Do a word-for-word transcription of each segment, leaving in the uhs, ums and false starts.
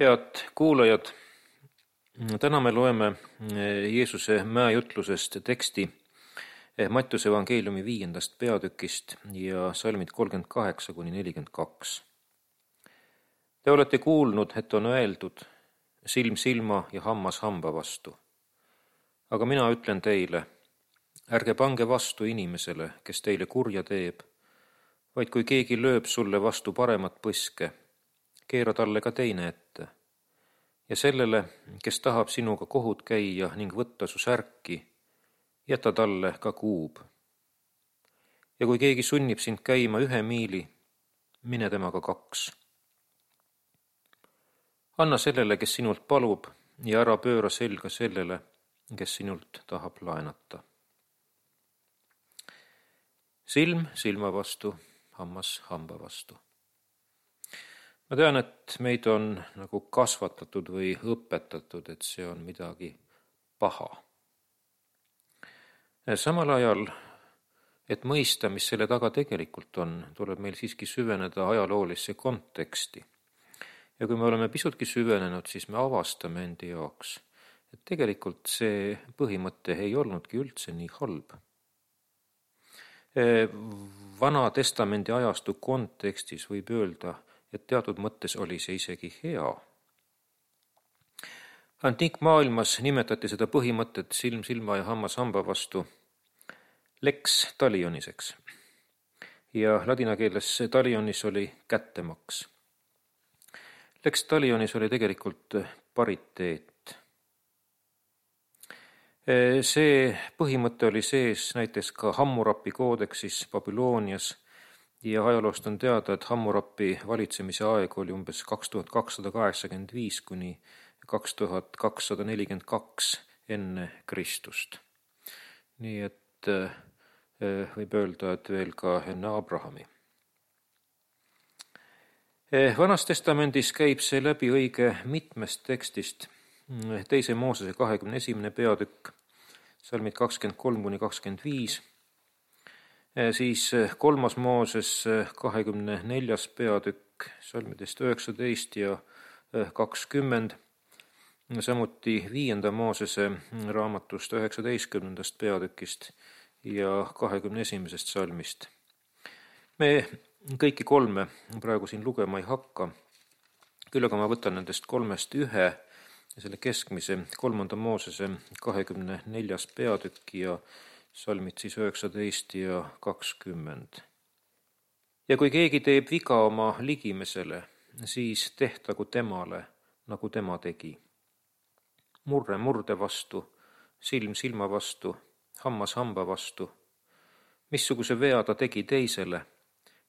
Head kuulajad, täna me loeme Jeesuse mäejutlusest teksti Mattiuse evangeeliumi viiendast peatükist ja salmid kolmkümmend kaheksa kuni nelikümmend kaks. Te olete kuulnud, et on öeldud silm silma ja hammas hamba vastu. Aga mina ütlen teile, ärge pange vastu inimesele, kes teile kurja teeb, vaid kui keegi lööb sulle vastu paremat põske, keera talle ka teine ette. Ja sellele, kes tahab sinuga kohut käia ning võtta su särki, jäta talle ka kuub. Ja kui keegi sunnib sind käima ühe miili, mine temaga kaks. Anna sellele, kes sinult palub, ja ära pööra selga sellele, kes sinult tahab laenata. Silm silma vastu, hammas hamba vastu. Ma tean, et meid on nagu kasvatatud või õpetatud, et see on midagi paha. Samal ajal, et mõista, mis selle taga tegelikult on, tuleb meil siiski süveneda ajaloolisse konteksti. Ja kui me oleme pisutki süvenenud, siis me avastame endi jaoks, et tegelikult see põhimõte ei olnudki üldse nii halb. Vana testamendi ajastu kontekstis võib öelda, et teatud mõttes oli see isegi hea. Antiikmaailmas nimetati seda põhimõtet silm silma ja hammas hamba vastu lex talioniseks. Ja ladina keeles talionis oli kättemaks. Lex talionis oli tegelikult pariteet. See põhimõte oli sees näiteks ka Hammurapi koodeksis Babylonias, ja ajaloost on teada, et Hammurapi valitsemise aeg oli umbes kaks tuhat kakssada kaheksakümmend viis kuni kaks tuhat kakssada nelikümmend kaks enne Kristust. Nii et võib öelda, et veel ka enne Abrahami. Vanas testamendis käib see läbi õige mitmest tekstist. Teise Moosese kahekümne esimene peatükk, salmid kakskümmend kolm kuni kakskümmend viis. Siis kolmas Mooses kahekümne neljas peatükk, salmidest üheksateist ja kakskümmend, samuti viienda Moosese raamatust üheksateistkümnendast peatükist ja kahekümne esimesest salmist. Me kõiki kolme praegu siin lugema ei hakka, küll aga ma võtan nendest kolmest ühe, selle keskmise kolmanda Moosese kahekümne neljas peatükk ja salmid siis üheksateist ja kakskümmend. Ja kui keegi teeb viga oma ligimesele, siis tehtagu temale, nagu tema tegi. Murre murde vastu, silm silma vastu, hammas hamba vastu. Missuguse vea ta tegi teisele,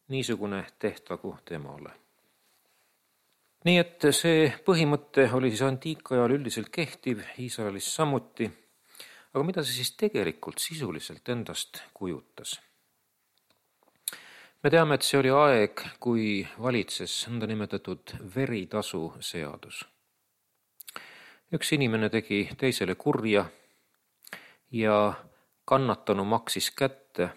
niisugune tehtagu temale. Nii et see põhimõte oli siis antiikajal üldiselt kehtiv, Iisraelis samuti. Aga mida see siis tegelikult sisuliselt endast kujutas? Me teame, et see oli aeg, kui valitses nõnda nimetatud veritasu seadus. Üks inimene tegi teisele kurja ja kannatanu maksis kätte.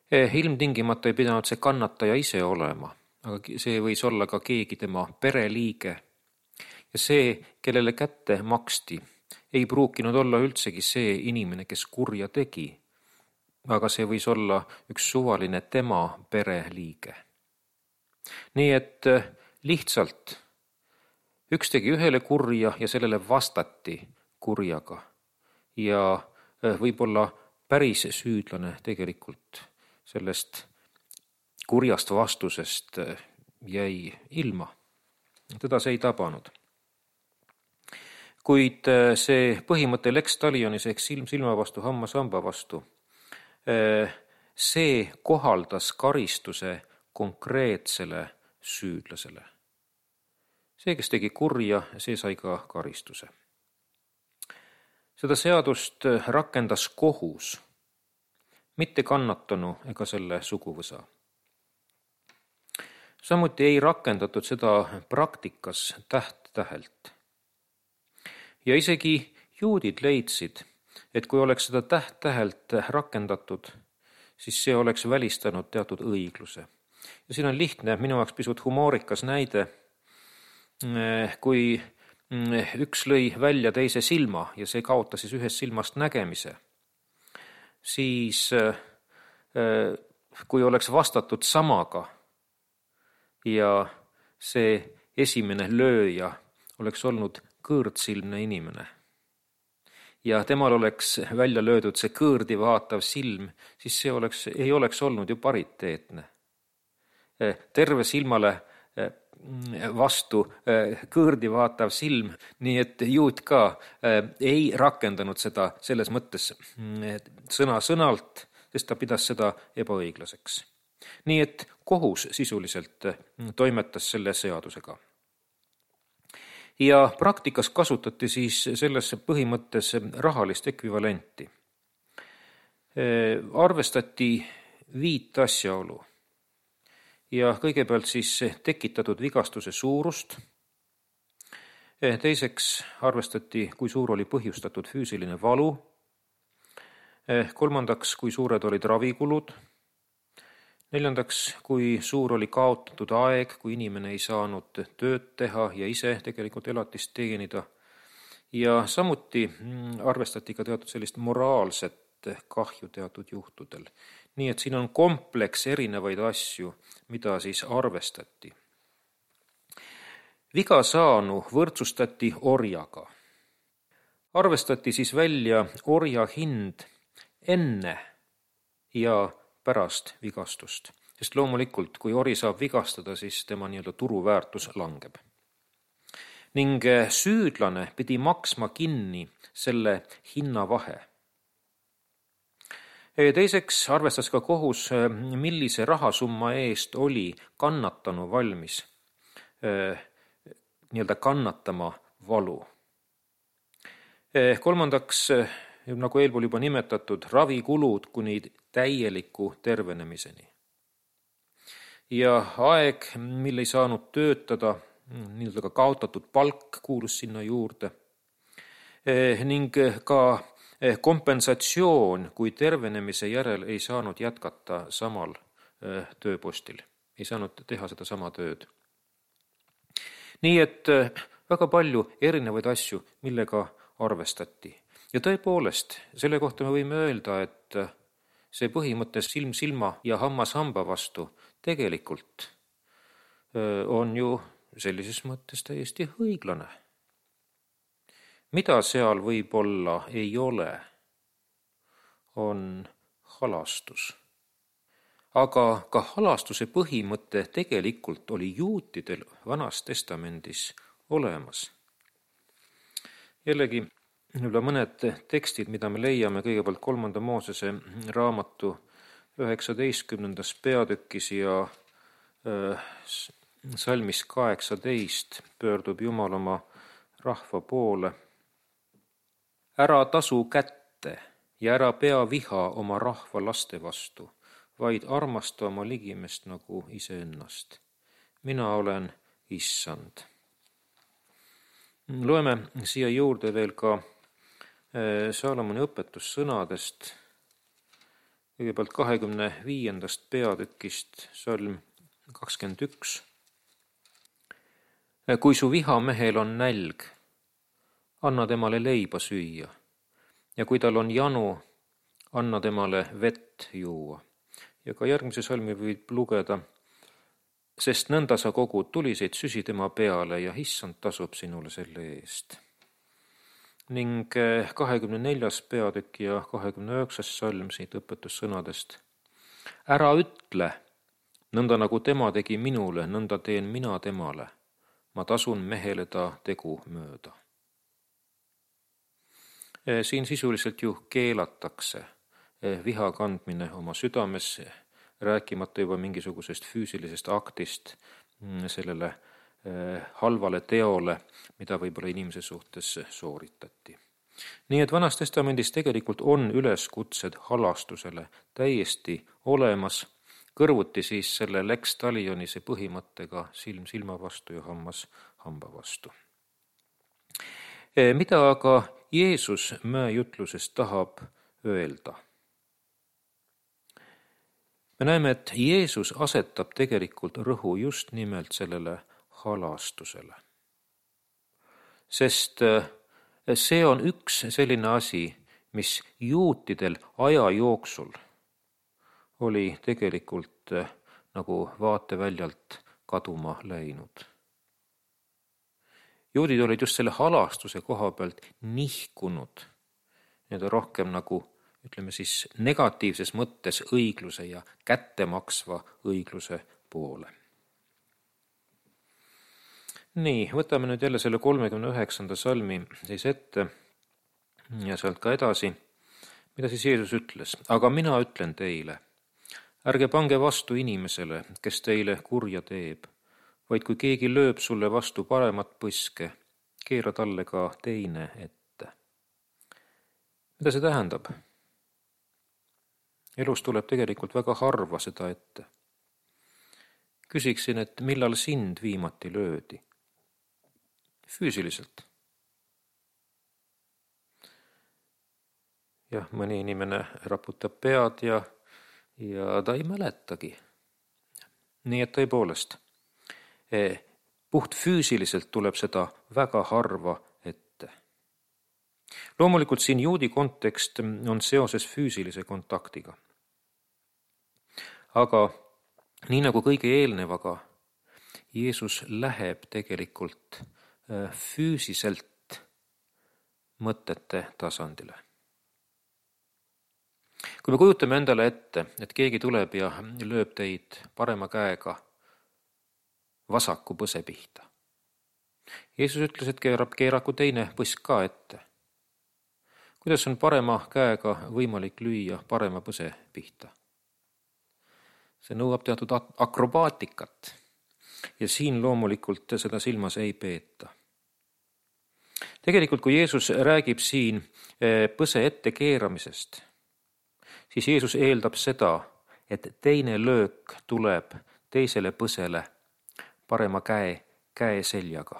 Ilmtingimata ei pidanud see kannataja ise olema, aga see võis olla ka keegi tema pereliige. Ja see, kellele kätte maksti, ei pruukinud olla üldsegi see inimene, kes kurja tegi, aga see võis olla üks suvaline tema pereliige. Nii et lihtsalt üks tegi ühele kurja ja sellele vastati kurjaga ja võib-olla päris süüdlane tegelikult sellest kurjast vastusest jäi ilma. Teda see ei tabanud. Kuid see põhimõte lex talionis ehk silm silma vastu, hammas hamba vastu, see kohaldas karistuse konkreetsele süüdlasele. See, kes tegi kurja, see sai ka karistuse. Seda seadust rakendas kohus, mitte kannatanu ega selle suguvõsa. Samuti ei rakendatud seda praktikas täht-tähelt. Ja isegi juudid leidsid, et kui oleks seda täht-tähelt rakendatud, siis see oleks välistanud teatud õigluse. Ja siin on lihtne, minu jaoks pisut humoorikas näide. kui üks lõi välja teise silma ja see kaotas siis ühest silmast nägemise, siis kui oleks vastatud samaga ja see esimene lööja oleks olnud kõõrdsilmne inimene ja temal oleks välja löödud see kõõrdi vaatav silm, siis see oleks, ei oleks olnud ju pariteetne. Terve silmale vastu kõõrdi vaatav silm, nii et juut ka ei rakendanud seda selles mõttes sõna sõnalt, sest ta pidas seda ebaõiglaseks. Nii et kohus sisuliselt toimetas selle seadusega. Ja praktikas kasutati siis selles põhimõttes rahalist ekvivalenti. Arvestati viit asjaolu ja kõigepealt siis tekitatud vigastuse suurust. Teiseks arvestati, kui suur oli põhjustatud füüsiline valu. Kolmandaks, kui suured olid ravikulud. Neljandaks, kui suur oli kaotatud aeg, kui inimene ei saanud tööd teha ja ise tegelikult elatist teenida. Ja samuti arvestati ka teatud sellist moraalset kahju teatud juhtudel. Nii et siin on kompleks erinevaid asju, mida siis arvestati. Viga saanu võrdsustati orjaga. Arvestati siis välja orja hind enne ja pärast vigastust, sest loomulikult, kui ori saab vigastada, siis tema nii-öelda turuväärtus langeb. Ning süüdlane pidi maksma kinni selle hinnavahe. Teiseks arvestas ka kohus, millise rahasumma eest oli kannatanu valmis nii-öelda kannatama valu. Kolmandaks, nagu eelpool juba nimetatud, ravikulud kuni täieliku tervenemiseni. Ja aeg, mille ei saanud töötada, nii-öelda ka kaotatud palk kuulus sinna juurde, ning ka kompensatsioon, kui tervenemise järel ei saanud jätkata samal tööpostil, ei saanud teha seda sama tööd. Nii et väga palju erinevaid asju, millega arvestati. Ja tõepoolest, selle kohta me võime öelda, et see põhimõte silm silma ja hammas hamba vastu tegelikult on ju sellises mõttes täiesti õiglane. Mida seal võib-olla ei ole, on halastus. Aga ka halastuse põhimõte tegelikult oli juutidel Vanas Testamendis olemas. Jällegi, Võib-olla mõned tekstid, mida me leiame kõigepealt kolmanda Moosese raamatu üheksateistkümnendas peatükis ja salmis kaheksateist pöördub Jumal oma rahva poole. Ära tasu kätte ja ära pea viha oma rahva laste vastu, vaid armasta oma ligimest nagu iseennast. Mina olen Issand. Loeme siia juurde veel ka Saalomoni õpetussõnadest, kõigepealt kahekümne viiendast peatükist, salm kakskümmend üks. Kui su vihamehel on nälg, anna temale leiba süüa, ja kui tal on janu, anna temale vett juua. Ja ka järgmise salmi võib lugeda, sest nõnda sa kogud tuliseid süsi tema peale ja Issand tasub sinule selle eest. Ning kahekümne neljas peatükk ja kahekümne üheksas salm siit õpetussõnadest. Ära ütle, nõnda nagu tema tegi minule, nõnda teen mina temale. Ma tasun mehele ta tegu mööda. Siin sisuliselt ju keelatakse viha kandmine oma südames, rääkimata juba mingisugusest füüsilisest aktist sellele halvale teole, mida võib-olla inimese suhtes sooritati. Nii et Vanas Testamendis tegelikult on üleskutsed halastusele täiesti olemas, kõrvuti siis selle lex talionise põhimõttega silm silma vastu ja hammas hamba vastu. Mida aga Jeesus mäejutluses tahab öelda? Me näeme, et Jeesus asetab tegelikult rõhu just nimelt sellele halastusele. sest see on üks selline asi, mis juutidel aja jooksul oli tegelikult nagu vaateväljalt kaduma läinud. Juudid olid just selle halastuse koha pealt nihkunud, need on rohkem nagu, ütleme siis, negatiivses mõttes õigluse ja kättemaksva õigluse poole. Nii, võtame nüüd jälle selle kolmekümne üheksanda salmi siis ette ja sealt ka edasi, mida siis Jeesus ütles. Aga mina ütlen teile, ärge pange vastu inimesele, kes teile kurja teeb, vaid kui keegi lööb sulle vastu paremat põske, keera talle ka teine ette. Mida see tähendab? Elus tuleb tegelikult väga harva seda ette. Küsiksin, et millal sind viimati löödi? Füüsiliselt. Jah, mõni inimene raputab pead ja, ja ta ei mäletagi. Nii et tõepoolest, puht füüsiliselt tuleb seda väga harva ette. Loomulikult siin juudi kontekst on seoses füüsilise kontaktiga. Aga nii nagu kõige eelnevaga, Jeesus läheb tegelikult füüsiselt mõtete tasandile. Kui me kujutame endale ette, et keegi tuleb ja lööb teid parema käega vasaku põse pihta. Jeesus ütles, et keerab keeraku teine põsk ka ette. Kuidas on parema käega võimalik lüüa parema põse pihta? See nõuab teatud akrobaatikat ja siin loomulikult seda silmas ei peeta. Tegelikult, kui Jeesus räägib siin põse ette keeramisest, siis Jeesus eeldab seda, et teine löök tuleb teisele põsele parema käe, käe seljaga.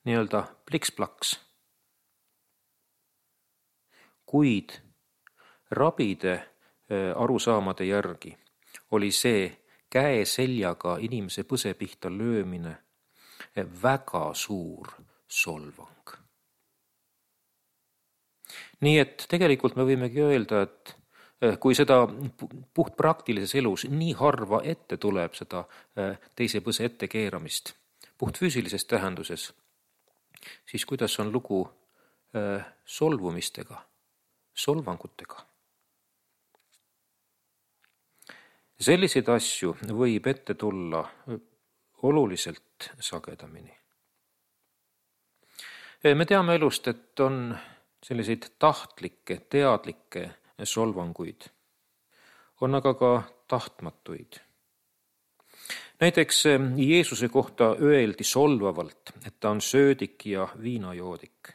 Nii-öelda pliks-plaks. Kuid rabide arusaamade järgi oli see käe seljaga inimese põse pihta löömine väga suur solvang. Nii et tegelikult me võimegi öelda, et kui seda puht praktilises elus nii harva ette tuleb seda teise põse ette keeramist, puht füüsilises tähenduses, siis kuidas on lugu solvumistega, solvangutega? Selliseid asju võib ette tulla oluliselt sagedamini. Me teame elust, et on selliseid tahtlikke, teadlikke solvanguid. On aga ka tahtmatuid. Näiteks Jeesuse kohta öeldi solvavalt, et ta on söödik ja viinajoodik.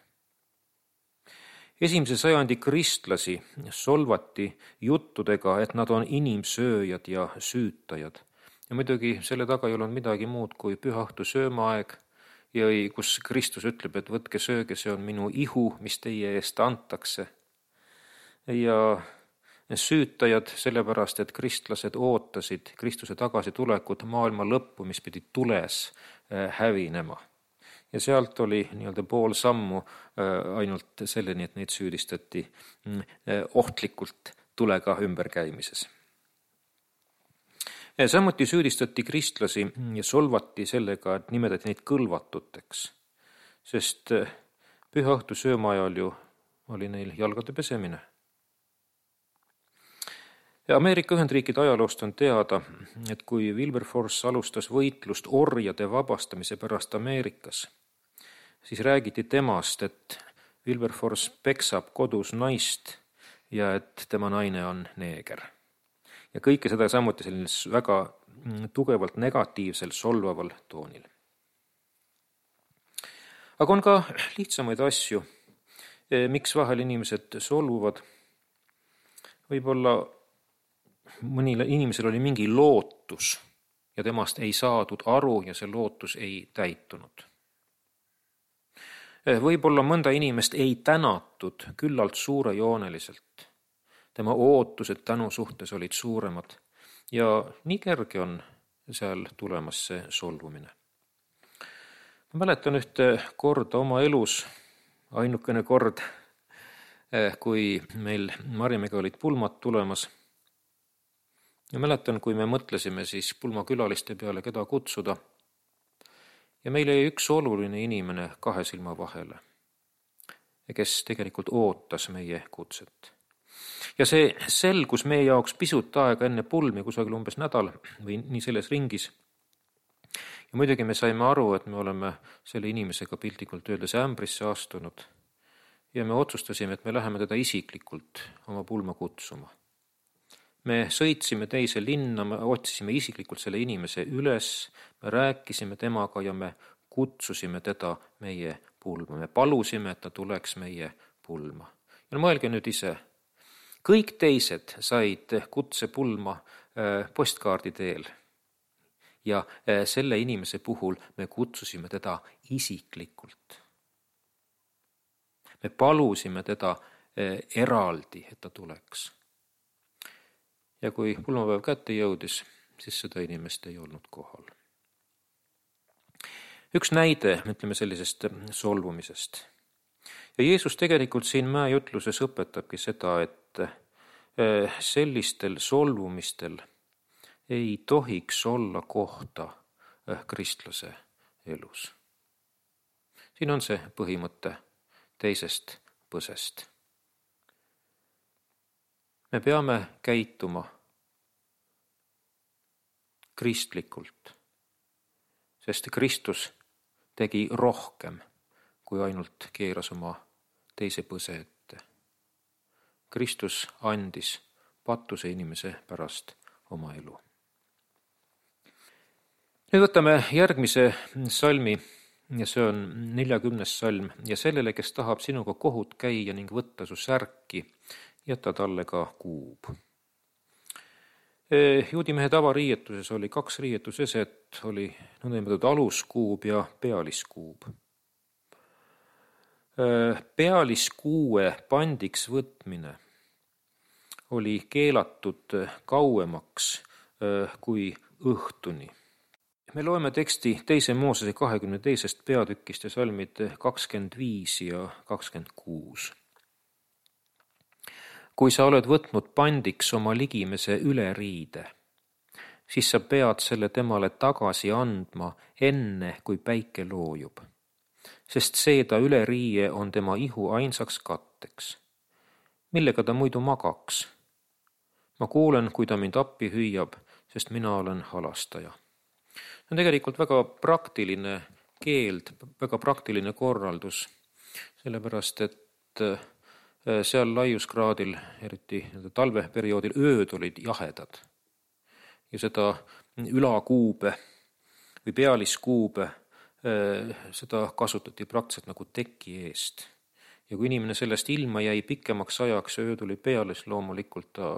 Esimese sajandi kristlasi solvati juttudega, et nad on inimsööjad ja süütajad. Ja muidugi selle taga ei olnud midagi muud kui pühaõhtu söömaaeg, ja kus Kristus ütleb, et võtke sööge, see on minu ihu, mis teie eest antakse. Ja süütajad sellepärast, et kristlased ootasid Kristuse tagasitulekut maailma lõppu, mis pidi tules hävinema. Ja sealt oli nii-öelda pool sammu ainult selleni, et neid süüdistati ohtlikult tulega ümberkäimises. Samuti süüdistati kristlasi ja solvati sellega, et nimetati neid kõlvatuteks, sest pühaõhtu sööma ajal ju oli neil jalgade pesemine. Ja Ameerika Ühendriikide ajaloost on teada, et kui Wilberforce alustas võitlust orjade vabastamise pärast Ameerikas, siis räägiti temast, et Wilberforce peksab kodus naist ja et tema naine on neeger. Ja kõike seda samuti sellisel väga tugevalt negatiivsel, solvaval toonil. Aga on ka lihtsamaid asju, miks vahel inimesed solvuvad. Võib-olla mõnil inimesel oli mingi lootus ja temast ei saadud aru ja see lootus ei täitunud. Võib-olla mõnda inimest ei tänatud küllalt suurejooneliselt. Tema ootused tänu suhtes olid suuremad ja nii kerge on seal tulemas see solvumine. Ma mäletan ühte korda oma elus, ainukene kord, kui meil Marjamäega olid pulmad tulemas. Ja mäletan, kui me mõtlesime siis pulmakülaliste peale, keda kutsuda. Ja meil jäi üks oluline inimene kahe silma vahele, kes tegelikult ootas meie kutset. Ja see selgus meie jaoks pisut aega enne pulmi, kusagil umbes nädal või nii selles ringis. Ja muidugi me saime aru, et me oleme selle inimesega piltlikult öeldes ämbrisse astunud ja me otsustasime, et me läheme teda isiklikult oma pulma kutsuma. Me sõitsime teise linna, me otsisime isiklikult selle inimese üles, me rääkisime temaga ja me kutsusime teda meie pulma. Me palusime, et ta tuleks meie pulma. Ja no mõelge nüüd ise, kõik teised said kutse pulma postkaardi teel ja selle inimese puhul me kutsusime teda isiklikult. Me palusime teda eraldi, et ta tuleks. Ja kui pulmapäev kätte jõudis, siis seda inimest ei olnud kohal. Üks näide, ütleme sellisest solvumisest. Ja Jeesus tegelikult siin mäejutluses õpetabki seda, et sellistel solvumistel ei tohiks olla kohta kristlase elus. Siin on see põhimõte teisest põsest. Me peame käituma kristlikult, sest Kristus tegi rohkem, kui ainult keeras oma teise põse ette. Kristus andis patuse inimese pärast oma elu. Nüüd võtame järgmise salmi, ja see on neljakümnes salm, ja sellele, kes tahab sinuga kohut käia ning võtta su särki, jäta talle ka kuub. Juudimehe tavariietuses oli kaks riietuseset, oli nõnda aluskuub ja pealiskuub. Pealiskuue pandiks võtmine oli keelatud kauemaks kui õhtuni. Me loeme teksti teise Moosese kahekümne teisest peatükist ja salmid kakskümmend viis ja kakskümmend kuus. Kui sa oled võtnud pandiks oma ligimese üleriide, siis sa pead selle temale tagasi andma enne, kui päike loojub, sest seeda üleriie on tema ihu ainsaks katteks. Millega ta muidu magaks? Ma kuulen, kui ta mind appi hüüab, sest mina olen halastaja. See on tegelikult väga praktiline keeld, väga praktiline korraldus, sellepärast et seal laiuskraadil, eriti talveperioodil, ööd olid jahedad. Ja seda ülakuube või pealiskuube, seda kasutati praktiliselt nagu teki eest. Ja kui inimene sellest ilma jäi pikemaks ajaks ja öö tuli peale, siis loomulikult ta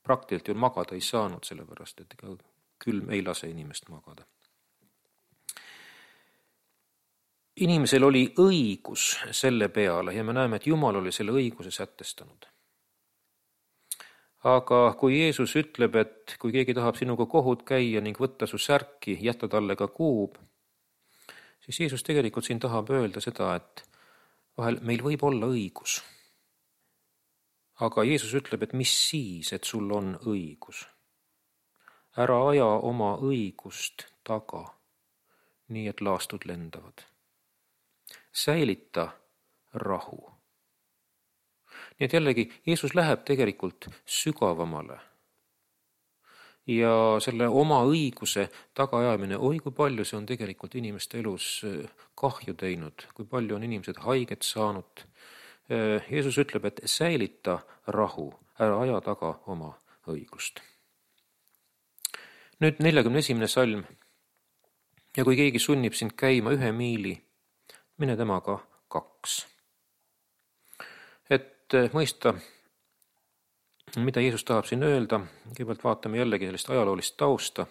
praktiliselt ju magada ei saanud, sellepärast et ega külm ei lase inimest magada. Inimesel oli õigus selle peale ja me näeme, et Jumal oli selle õiguse sätestanud. Aga kui Jeesus ütleb, et kui keegi tahab sinuga kohut käia ning võtta su särki, jätta talle ka kuub, siis Jeesus tegelikult siin tahab öelda seda, et vahel meil võib olla õigus. Aga Jeesus ütleb, et mis siis, et sul on õigus. Ära aja oma õigust taga, nii et laastud lendavad. Säilita rahu. Nii et jällegi, Jeesus läheb tegelikult sügavamale. Ja selle oma õiguse tagaajamine, oi kui palju see on tegelikult inimeste elus kahju teinud, kui palju on inimesed haiget saanud. Jeesus ütleb, et säilita rahu, ära aja taga oma õigust. Nüüd neljakümne esimene salm. Ja kui keegi sunnib sind käima ühe miili, mine temaga kaks. Et mõista, mida Jeesus tahab siin öelda, kõigepealt vaatame jällegi sellist ajaloolist tausta.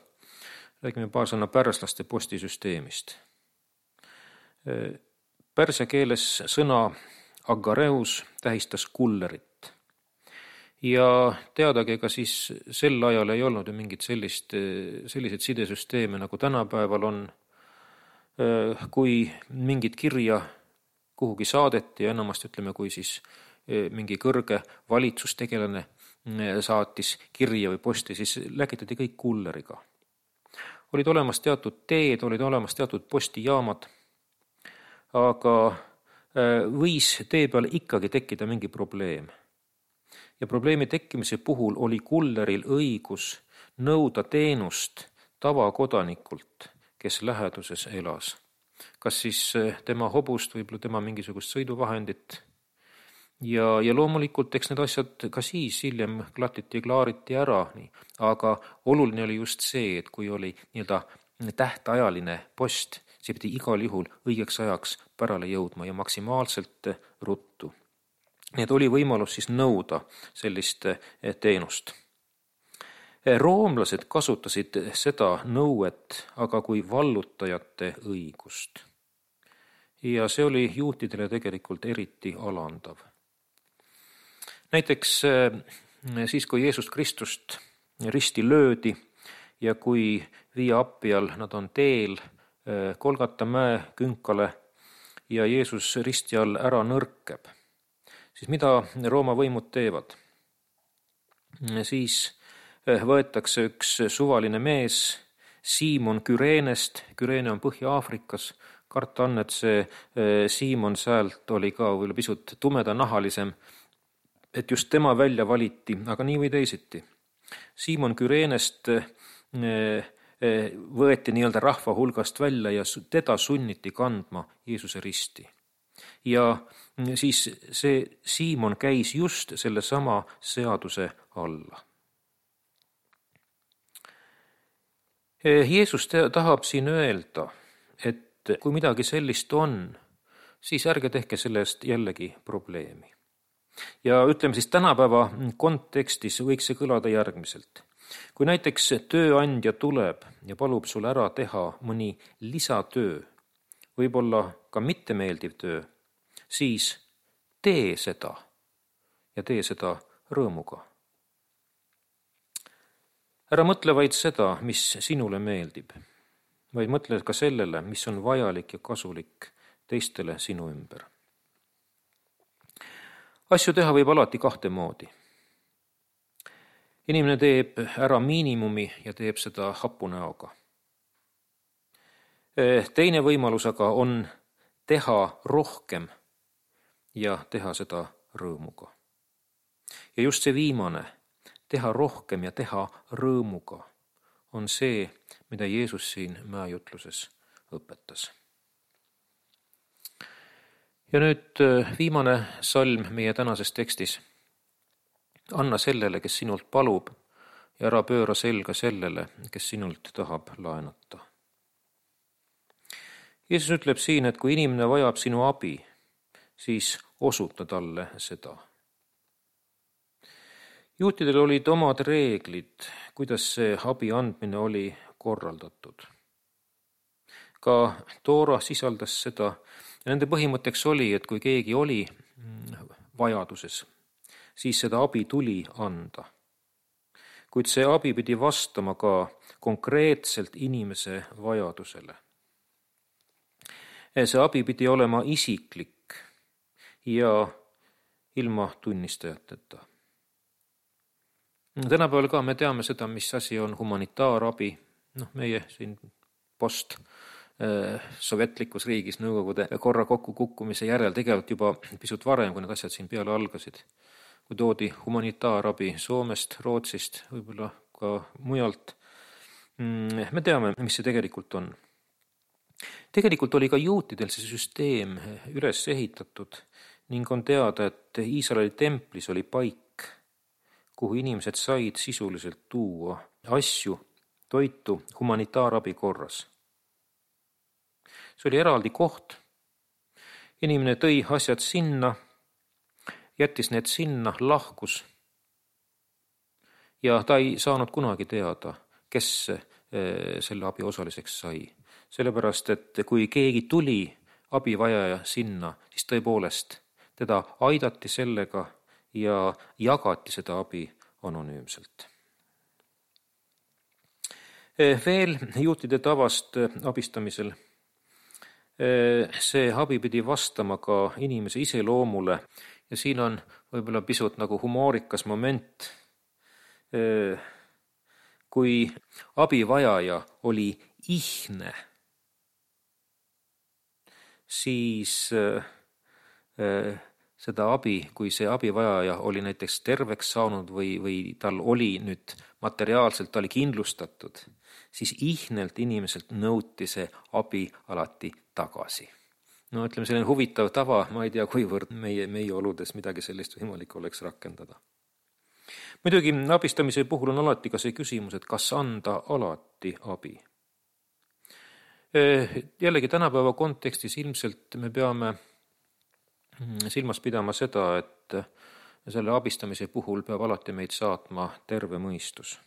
Räägime paar sõna pärslaste postisüsteemist. Pärsia keeles sõna agareus tähistas kullerit. Ja teadagi, ega siis sel ajal ei olnud ju mingit sellist, selliseid sidesüsteeme, nagu tänapäeval on. kui mingit kirja kuhugi saadeti ja enamasti ütleme, kui siis mingi kõrge valitsustegelane saatis kirja või posti, siis läkitati kõik kulleriga. Olid olemas teatud teed, olid olemas teatud postijaamad, aga võis tee peal ikkagi tekkida mingi probleem. Ja probleemi tekkimise puhul oli kulleril õigus nõuda teenust tavakodanikult, kes läheduses elas. Kas siis tema hobust, võib-olla tema mingisugust sõiduvahendit. Ja, ja loomulikult eks need asjad ka siis hiljem klatiti ja klaariti ära, nii. Aga oluline oli just see, et kui oli nii-öelda tähtajaline post, see pidi igal juhul õigeks ajaks pärale jõudma ja maksimaalselt ruttu. Nii et oli võimalus siis nõuda sellist teenust. Roomlased kasutasid seda nõuet aga kui vallutajate õigust. Ja see oli juutidele tegelikult eriti alandav. Näiteks siis, kui Jeesus Kristust risti löödi ja kui Via Appial nad on teel Kolgata mäe künkale ja Jeesus risti all ära nõrkeb, siis mida Rooma võimud teevad? Siis võetakse üks suvaline mees Siimon Küreenest, Küreene on Põhja-Aafrikas, karta on, et see Siimon säält oli ka võib-olla pisut tumedanahalisem, et just tema välja valiti, aga nii või teisiti. Siimon Küreenest võeti nii-öelda rahva hulgast välja ja teda sunniti kandma Jeesuse risti. Ja siis see Siimon käis just selle sama seaduse alla. Jeesus tahab siin öelda, et kui midagi sellist on, siis ärge tehke sellest jällegi probleemi. Ja ütleme siis tänapäeva kontekstis võiks see kõlada järgmiselt. Kui näiteks tööandja tuleb ja palub sul ära teha mõni lisatöö, võib-olla ka mittemeeldiv töö, siis tee seda ja tee seda rõõmuga. Ära mõtle vaid seda, mis sinule meeldib, vaid mõtle ka sellele, mis on vajalik ja kasulik teistele sinu ümber. Asju teha võib alati kahte moodi. Inimene teeb ära miinimumi ja teeb seda hapu näoga. Teine võimalus aga on teha rohkem ja teha seda rõõmuga. Ja just see viimane, teha rohkem ja teha rõõmuga, on see, mida Jeesus siin mäejutluses õpetas. Ja nüüd viimane salm meie tänases tekstis. Anna sellele, kes sinult palub, ja ära pööra selga sellele, kes sinult tahab laenata. Jeesus ütleb siin, et kui inimene vajab sinu abi, siis osuta talle seda. Juutidel olid omad reeglid, kuidas see abi andmine oli korraldatud. Ka Toora sisaldas seda. Ja nende põhimõtteks oli, et kui keegi oli vajaduses, siis seda abi tuli anda. Kuid see abi pidi vastama ka konkreetselt inimese vajadusele. See abi pidi olema isiklik ja ilma tunnistajateta. Tänapäeval ka me teame seda, mis asi on humanitaarabi. No, meie siin post sovjetlikus riigis nõukogude korra kokku kukkumise järel tegelikult juba pisut varem, kui need asjad siin peale algasid. Kui toodi humanitaarabi Soomest, Rootsist, võib-olla ka mujalt. Me teame, mis see tegelikult on. Tegelikult oli ka juutidel see süsteem üles ehitatud ning on teada, et Iisraeli templis oli paik, kuhu inimesed said sisuliselt tuua asju, toitu humanitaarabi korras. See oli eraldi koht. Inimene tõi asjad sinna, jättis need sinna, lahkus. Ja ta ei saanud kunagi teada, kes selle abi osaliseks sai. Sellepärast, et kui keegi tuli abivajaja sinna, siis tõepoolest teda aidati sellega ja jagati seda abi anonüümselt. Veel juutide tavast abistamisel see abi pidi vastama ka inimese iseloomule ja siin on võib-olla pisut nagu humoorikas moment. Kui abivajaja oli ihne, siis seda abi, kui see abivajaja oli näiteks terveks saanud või, või tal oli nüüd materiaalselt, ta oli kindlustatud, siis ihnelt inimeselt nõuti see abi alati tagasi. No ütleme, selline huvitav tava, ma ei tea, kuivõrd meie, meie oludes midagi sellist võimalik oleks rakendada. Muidugi abistamise puhul on alati ka see küsimus, et kas anda alati abi. Jällegi tänapäeva kontekstis ilmselt me peame silmas pidama seda, et selle abistamise puhul peab alati meid saatma terve mõistus.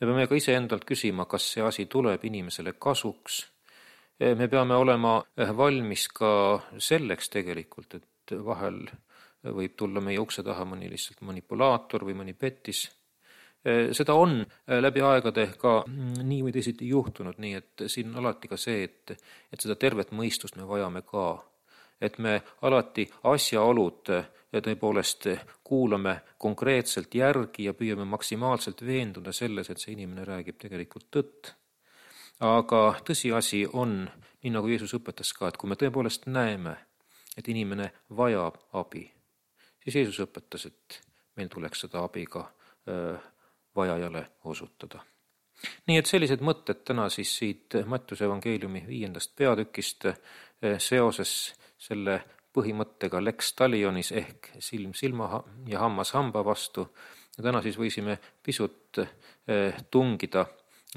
Me peame ka ise endalt küsima, kas see asi tuleb inimesele kasuks. Me peame olema valmis ka selleks tegelikult, et vahel võib tulla meie ukse taha mõni lihtsalt manipulaator või mõni pettis. Seda on läbi aegade ka nii või teisiti juhtunud, nii et siin on alati ka see, et, et seda tervet mõistust me vajame ka. Et me alati asjaolud ja tõepoolest kuulame konkreetselt järgi ja püüame maksimaalselt veenduda selles, et see inimene räägib tegelikult tõtt. Aga tõsiasi on, nii nagu Jeesus õpetas ka, et kui me tõepoolest näeme, et inimene vajab abi, siis Jeesus õpetas, et meil tuleks seda abi ka öö, vajajale osutada. Nii et sellised mõtted täna siis siit Mattiuse evangeeliumi viiendast peatükist seoses selle põhimõttega lex talionis ehk silm silma ja hammas hamba vastu. Ja täna siis võisime pisut tungida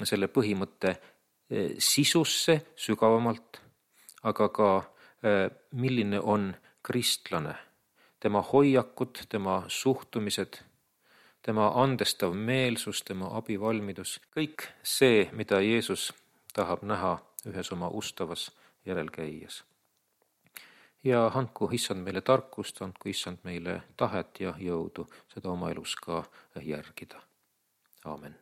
selle põhimõtte sisusse sügavamalt, aga ka milline on kristlane, tema hoiakud, tema suhtumised, tema andestav meelsus, tema abivalmidus, kõik see, mida Jeesus tahab näha ühes oma ustavas järelkäijas. Ja andku issand meile tarkust, andku issand meile tahet ja jõudu seda oma elus ka järgida. Aamen.